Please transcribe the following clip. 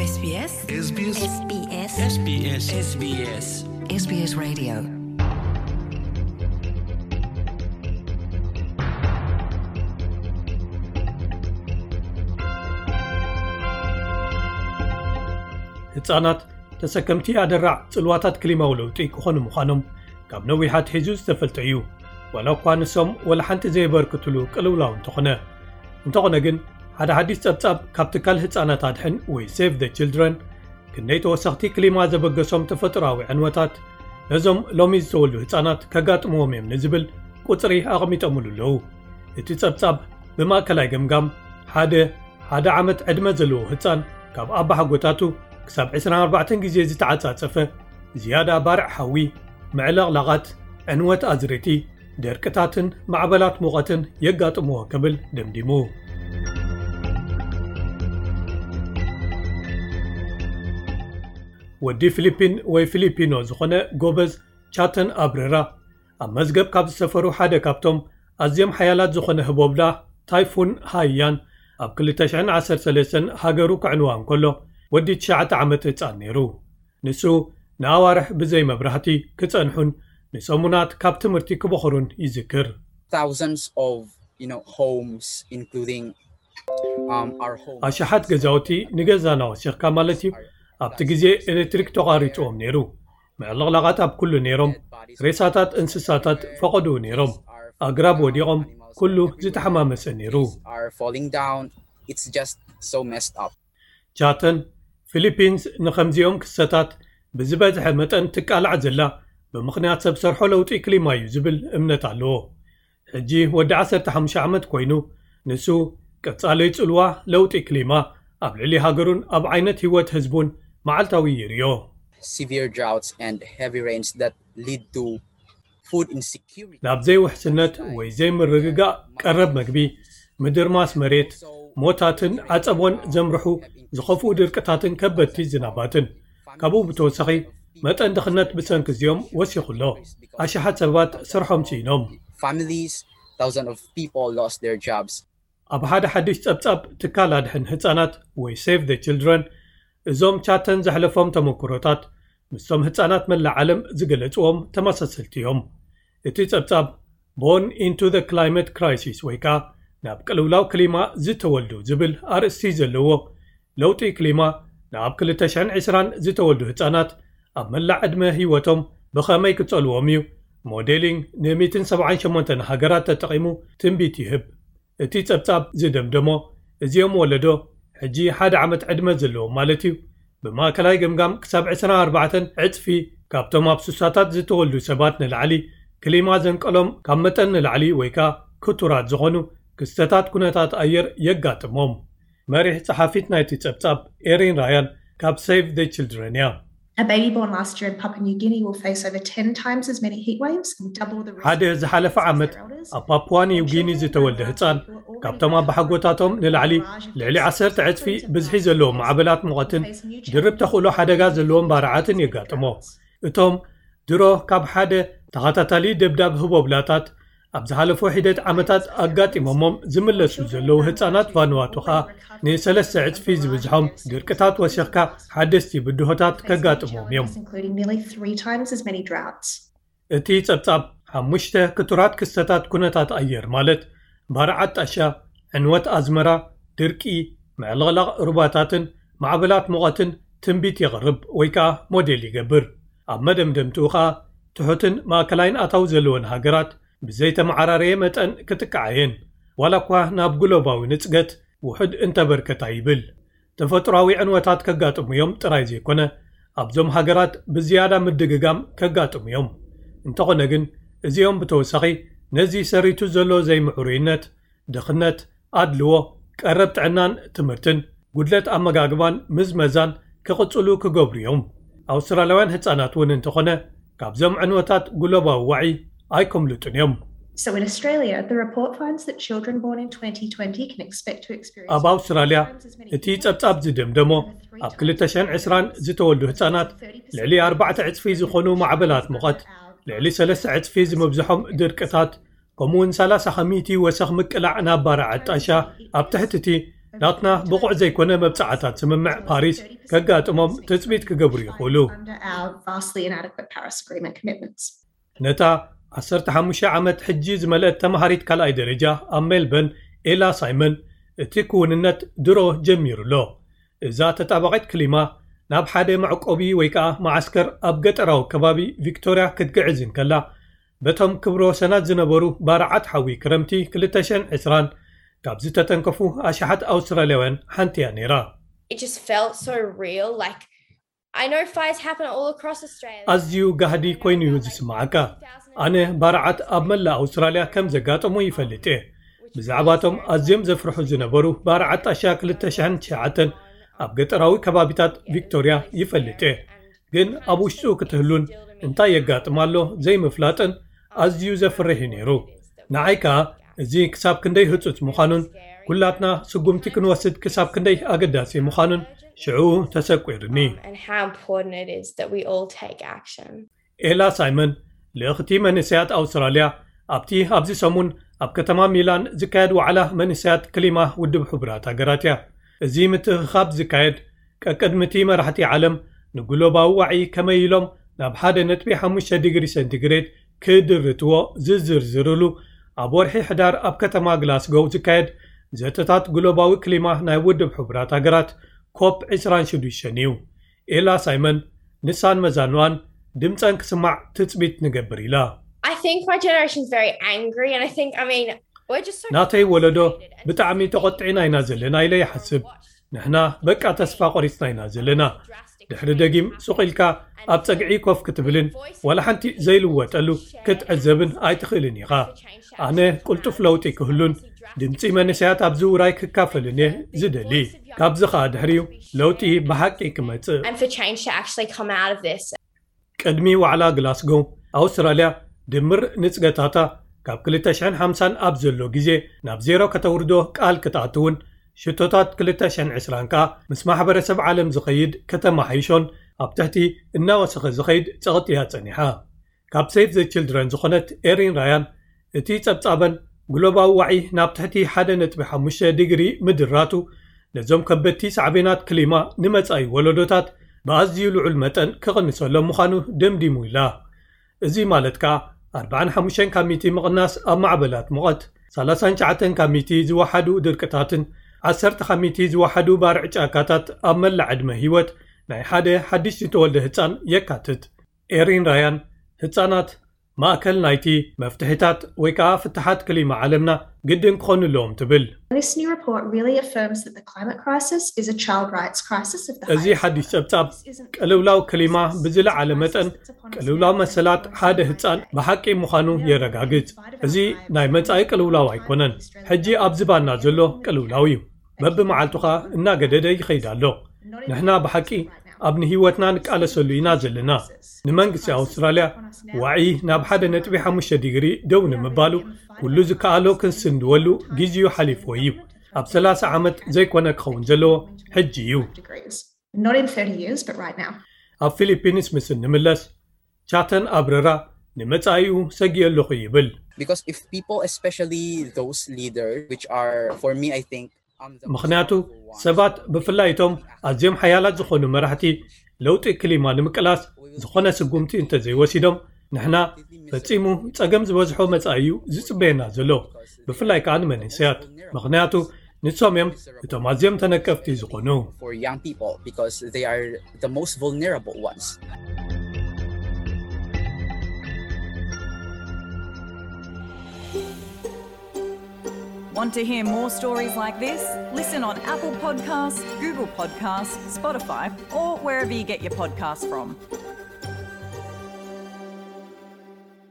SBS SBS SBS SBS SBS SBS Radio. ህጻናት ተሰከምቲ ኣደራዕ ጽልዋታት ክሊማዊ ለውጢ ክኾኑ ምዃኖም ካብ ነዊሕ ኣትሒዙ ዝተፈልጠ እዩ። ዋላ እኳ ንሶም ወላ ሓንቲ ዘየበርክትሉ ቅልውላው እንተኾነ። እንተኾነ ግን፣ ሓደ ሓድሽ ጸብጻብ ካብ ትካል ህጻናት ኣድሕን ወይ Save the Children፣ ክንደይ ተወሰኽቲ ክሊማ ዘበገሶም ተፈጥሮኣዊ ዕንወታት ነዞም ሎሚ ዝተወልዱ ህጻናት ከጋጥምዎም እዮም ንዝብል ቁጽሪ ኣቐሚጦምሉ ኣለዉ። እቲ ጸብጻብ ብማእከላይ ገምጋም ሓደ ሓደ ዓመት ዕድመ ዘለዎ ህጻን ካብ ኣባሓጎታቱ ክሳብ ዕስራን ኣርባዕተን ግዜ ዝተዓጻጸፈ ዝያዳ ባርዕ ሓዊ፣ ምዕለቕላቓት፣ ዕንወት ኣዝርእቲ፣ ደርቅታትን ማዕበላት ሙቐትን የጋጥምዎ ክብል ደምዲሙ። ወዲ ፊሊፒን ወይ ፊሊፒኖ ዝኾነ ጎበዝ ቻተን ኣብረራ ኣብ መዝገብ ካብ ዝሰፈሩ ሓደ ካብቶም ኣዝዮም ሓያላት ዝኾነ ህቦብላ ታይፉን ሃይያን ኣብ ክልተ ሽሕን ዓሰርተ ሰለስተን ሃገሩ ክዕንዋ እንከሎ ወዲ ትሽዓተ ዓመት ህጻን ነይሩ። ንሱ ንኣዋርሕ ብዘይ መብራህቲ ክጸንሑን ንሰሙናት ካብ ትምህርቲ ክበኽሩን ይዝክር። Thousands of, you know, homes, including, um, our home. ኣሽሓት ገዛውቲ ንገዛና ወሲኽካ ማለት እዩ። ኣብቲ ግዜ ኤሌክትሪክ ተቋሪጽዎም ነይሩ። ምዕልቕላቓት ኣብ ኩሉ ነይሮም። ሬሳታት እንስሳታት ፈቐድኡ ነይሮም። ኣግራብ ወዲቖም፣ ኩሉ ዝተሓማመሰ ነይሩ። Are falling down. It's just so messed up. ቻተን፣ ፊሊፒንስ ንኸምዚኦም ክስተታት ብዝበዝሐ መጠን ትቃላዕ ዘላ ብምኽንያት ሰብ ሰርሖ ለውጢ ክሊማ እዩ ዝብል እምነት ኣለዎ። ሕጂ ወዲ ዓሰርተ ሓሙሽተ ዓመት ኮይኑ፣ ንሱ ቀጻሊ ጽልዋ ለውጢ ክሊማ ኣብ ልዕሊ ሃገሩን ኣብ ዓይነት ህይወት ህዝቡን መዓልታዊ ይርእዮ። Severe droughts and heavy rains that lead to food insecurity. ናብ ዘይውሕስነት ወይ ዘይምርግጋእ ቀረብ መግቢ፣ ምድርማስ መሬት፣ ሞታትን ዓጸቦን ዘምርሑ ዝኸፍኡ ድርቅታትን ከበድቲ ዝናባትን። ካብኡ ብተወሳኺ መጠን ድኽነት ብሰንኪ እዚኦም ወሲኹ ኣሎ። ኣሽሓት ሰባት ስርሖም ስኢኖም። Families, thousands of people lost their jobs. ኣብ ሓደ ሓድሽ ጸብጻብ ትካል ኣድሕን ህጻናት ወይ Save the Children፣ እዞም ቻተን ዘሕለፎም ተመክሮታት ምስቶም ህጻናት መላእ ዓለም ዝገለጽዎም ተመሳሰልቲ እዮም። እቲ ጸብጻብ Born into the Climate Crisis ወይ ከኣ ናብ ቅልውላው ክሊማ ዝተወልዱ ዝብል ኣርእስቲ ዘለዎ፣ ለውጢ ክሊማ ንኣብ ክልተ ሽሕን ዕስራን ዝተወልዱ ህጻናት ኣብ መላእ ዕድመ ህይወቶም ብኸመይ ክጸልዎም እዩ፣ ሞዴሊንግ ን ሚእትን ሰብዓን ሸሞንተን ሃገራት ተጠቒሙ ትንቢት ይህብ። እቲ ጸብጻብ ዝደምደሞ፣ እዚኦም ወለዶ ሕጂ ሓደ ዓመት ዕድመ ዘለዎም ማለት እዩ፣ ብማእከላይ ገምጋም ክሳብ ዕስራን ኣርባዕተን ዕጽፊ ካብቶም ኣብ ሱሳታት ዝተወልዱ ሰባት ንላዕሊ ክሊማ ዘንቀሎም ካብ መጠን ንላዕሊ ወይ ከኣ ክቱራት ዝኾኑ ክስተታት ኩነታት ኣየር የጋጥሞም። መሪሕ ጸሓፊት ናይቲ ጸብጻብ ኤሪን ራያን ካብ Save the Children እያ። A baby born last year in Papua New Guinea will face over ten times as many heat waves and double the risk ሓደ ዝሓለፈ ዓመት ኣብ ፓፑዋ ኒው ጊኒ ዝተወልደ ህጻን ካብቶም ኣባሓጎታቶም ንላዕሊ ልዕሊ ዓሰርተ ዕጽፊ ብዝሒ ዘለዎም ማዕበላት ሙቐትን ድርብ ተኽእሎ ሓደጋ ዘለዎም ባርዓትን የጋጥሞ። እቶም ድሮ ካብ ሓደ ተኸታታሊ ደብዳብ ህቦብላታት ኣብ ዝሓለፉ ሒደት ዓመታት ኣጋጢሞሞም ዝምለሱ ዘለዉ ህጻናት ቫኑዋቱ ኸኣ ንሰለስተ ዕጽፊ ዝብዝሖም ድርቅታት ወሲኽካ ሓደስቲ ብድሆታት ከጋጥሞም እዮም። including nearly three times as many droughts. እቲ ጸብጻብ ሓሙሽተ ክቱራት ክስተታት ኩነታት ኣየር ማለት ባርዓት ጣሻ፣ ዕንወት ኣዝመራ፣ ድርቂ፣ ምዕልቕላቕ ሩባታትን ማዕበላት ሙቐትን ትንቢት የቕርብ ወይ ከኣ ሞዴል ይገብር። ኣብ መደምደምትኡ ከኣ ትሑትን ማእከላይን ኣታዊ ዘለወን ሃገራት ብዘይተመዓራረየ መጠን ክጥቅዓ እየን። ዋላ እኳ ናብ ግሎባዊ ንጽገት ውሑድ እንተበርከታ ይብል። ተፈጥሮኣዊ ዕንወታት ከጋጥሙ እዮም ጥራይ ዘይኮነ ኣብዞም ሃገራት ብዝያዳ ምድግጋም ከጋጥሙ እዮም። እንተኾነ ግን እዚኦም ብተወሳኺ ነዚ ሰሪቱ ዘሎ ዘይምዕሩይነት፣ ድኽነት፣ ኣድልዎ፣ ቀረብ ጥዕናን ትምህርትን፣ ጉድለት ኣመጋግባን ምዝመዛን ክቕጽሉ ክገብሩ እዮም። ኣውስትራልያውያን ህጻናት እውን እንተኾነ ካብዞም ዕንወታት ግሎባዊ ዋዒ ኣይከምልጡን እዮም። So in Australia, the report finds that children born in twenty twenty can expect to experience ኣብ ኣውስትራልያ እቲ ጸብጻብ ዝደምደሞ ኣብ ክልተ ሽሕን ዕስራን ዝተወልዱ ህጻናት ልዕሊ ኣርባዕተ ዕጽፊ ዝኾኑ ማዕበላት ሙቐት፣ ልዕሊ ሰለስተ ዕጽፊ ዝምብዝሖም ድርቅታት፣ ከምኡውን ሰላሳ ከሚቲ ወሰኽ ምቅላዕ ናብ ባርዓት ጣሻ ኣብ ትሕቲ እቲ ናትና ብቑዕ ዘይኮነ መብጻዓታት ስምምዕ ፓሪስ ከጋጥሞም ትጽቢት ክገብሩ ይኽእሉ። ነታ ዓሰርተ ሓሙሽተ ዓመት ሕጂ ዝመልአት ተማሃሪት ካልኣይ ደረጃ ኣብ ሜልበርን፣ ኤላ ሳይመን፣ እቲ ክውንነት ድሮ ጀሚሩ ኣሎ። እዛ ተጣባቒት ክሊማ ናብ ሓደ መዕቆቢ ወይ ከኣ መዓስከር ኣብ ገጠራዊ ከባቢ ቪክቶርያ ክትግዕዝ እንከላ፣ በቶም ክብረ ወሰናት ዝነበሩ ባርዓት ሓዊ ክረምቲ ክልተ ሽሕን ዕስራን ካብ ዝተተንከፉ ኣሽሓት ኣውስትራልያውያን ሓንቲ እያ ነይራ። It just felt so real. Like, I know fires happen all across Australia. ኣዝዩ ጋህዲ ኮይኑ እዩ ዝስምዓካ። ኣነ ባርዓት ኣብ መላእ ኣውስትራልያ ከም ዘጋጠሙ ይፈልጥ እየ። ብዛዕባቶም ኣዝዮም ዘፍርሑ ዝነበሩ ባርዓት ጣሻ ክልተ ሽሕን ትሽዓተን ኣብ ገጠራዊ ከባቢታት ቪክቶርያ ይፈልጥ እየ። ግን ኣብ ውሽጡ ክትህሉን እንታይ የጋጥም ኣሎ ዘይምፍላጥን ኣዝዩ ዘፍርሕ እዩ ነይሩ። ንዓይ ከኣ እዚ ክሳብ ክንደይ ህጹጽ ምዃኑን ኩላትና ስጉምቲ ክንወስድ ክሳብ ክንደይ ኣገዳሲ ምዃኑን ሽዑ ተሰቂሩኒ። And how important it is that we all take action. ኤላ ሳይመን፣ ልእኽቲ መንእሰያት ኣውስትራልያ፣ ኣብቲ ኣብዚ ሰሙን ኣብ ከተማ ሚላን ዝካየድ ዋዕላ መንእሰያት ክሊማ ውድብ ሕቡራት ሃገራት እያ። እዚ ምትእኽኻብ ዝካየድ ቀቅድሚ እቲ መራሕቲ ዓለም ንግሎባዊ ዋዒ ከመይ ኢሎም ናብ ሓደ ነጥቢ ሓሙሽተ ዲግሪ ሴንቲግሬድ ክድርትዎ ዝዝርዝርሉ፣ ኣብ ወርሒ ሕዳር ኣብ ከተማ ግላስጎው ዝካየድ ዘተታት ግሎባዊ ክሊማ ናይ ውድብ ሕቡራት ሃገራት ኮፕ ዕስራን ሽዱሽተን እዩ። ኤላ ሳይመን፣ ንሳን መዛኑኣን ድምጸን ክስማዕ ትጽቢት ንገብር ኢላ። I think my generation's very angry, and I think, I mean, we're just so ናተይ ወለዶ ብጣዕሚ ተቖጢዕና ኢና ዘለና ኢለ ይሓስብ። ንሕና በቃ ተስፋ ቆሪጽና ኢና ዘለና። ድሕሪ ደጊም ሱቕ ኢልካ ኣብ ጸግዒ ኮፍ ክትብልን ዋላ ሓንቲ ዘይልወጠሉ ክትዕዘብን ኣይትኽእልን ኢኻ። ኣነ ቅልጡፍ ለውጢ ክህሉን ድምጺ መንእሰያት ኣብዚ ውራይ ክካፈልን እየ ዝደሊ። ካብዚ ኸኣ ድሕሪኡ ለውጢ ብሓቂ ክመጽእ። And for change to actually come out of this. ቅድሚ ዋዕላ ግላስጎ፣ ኣውስትራልያ ድምር ንጽገታታ ካብ ክልተ ሽሕን ሓምሳን ኣብ ዘሎ ግዜ ናብ ዜሮ ከተውርዶ ቃል ክትኣትውን፣ ሽቶታት ክልተ ሽሕን ዕስራን ከኣ ምስ ማሕበረሰብ ዓለም ዝኸይድ ከተማሓይሾን ኣብ ትሕቲ እናወሰኸ ዝኸይድ ጸቕጢ እያ ጸኒሓ። ካብ ሴቭ ዘ ችልድረን ዝኾነት ኤሪን ራያን፣ እቲ ጸብጻበን ግሎባዊ ዋዒ ናብ ትሕቲ ሓደ ነጥቢ ሓሙሽተ ዲግሪ ምድራቱ ነዞም ከበድቲ ሳዕቤናት ክሊማ ንመጻኢ ወለዶታት ብኣዝዩ ልዑል መጠን ክቕንሰሎም ምዃኑ ደምዲሙ ኢላ። እዚ ማለት ከኣ ኣርባዓን ሓሙሽተን ካብ ሚእቲ ምቕናስ ኣብ ማዕበላት ሙቐት፣ ሰላሳን ትሽዓተን ካብ ሚእቲ ዝወሓዱ ድርቅታትን ዓሰርተ ካብ ሚእቲ ዝወሓዱ ባርዕ ጫካታት ኣብ መላእ ዕድመ ህይወት ናይ ሓደ ሓድሽ ዝተወልደ ህጻን የካትት። ኤሪን ራያን፣ ህጻናት ማእከል ናይቲ መፍትሒታት ወይ ከኣ ፍትሓት ክሊማ ዓለምና ግድን ክኾኑ ኣለዎም ትብል። This new report really affirms that the climate crisis is a child rights crisis of the እዚ ሓድሽ ጸብጻብ ቅልውላው ክሊማ ብዝለዓለ መጠን ቅልውላው መሰላት ሓደ ህጻን ብሓቂ ምዃኑ የረጋግጽ። እዚ ናይ መጻኢ ቅልውላው ኣይኮነን፣ ሕጂ ኣብ ዝባና ዘሎ ቅልውላው እዩ። በብመዓልቱ ኸኣ እናገደደ ይኸይድ ኣሎ። ንሕና ብሓቂ ኣብ ንህይወትና ንቃለሰሉ ኢና ዘለና። ንመንግስቲ ኣውስትራልያ ዋዒ ናብ ሓደ ነጥቢ ሓሙሽተ ዲግሪ ደው ንምባሉ ኩሉ ዝከኣሎ ክንስንድወሉ ግዜኡ ሓሊፍዎ እዩ። ኣብ ሰላሳ ዓመት ዘይኮነ ክኸውን ዘለዎ ሕጂ እዩ። Degrees. Not in thirty years, but right now. ኣብ ፊሊፒንስ ምስ እንምለስ፣ ቻተን ኣብረራ ንመጻኢኡ ሰጊእ ኣለኹ ይብል። Because if people, especially those leaders, which are, for me, I think, on the ምኽንያቱ ሰባት ብፍላይ እቶም ኣዝዮም ሓያላት ዝኾኑ መራሕቲ ለውጢ ክሊማ ንምቅላስ ዝኾነ ስጉምቲ እንተዘይወሲዶም ንሕና ፈጺሙ ጸገም ዝበዝሖ መጻኢ እዩ ዝጽበየና ዘሎ፣ ብፍላይ ከኣ ንመንእሰያት። ምኽንያቱ ንሶም እዮም እቶም ኣዝዮም ተነቀፍቲ ዝኾኑ። For young people because they are the most vulnerable ones. Want to hear more stories like this? Listen on Apple Podcasts, Google Podcasts, Spotify, or wherever you get your podcasts from.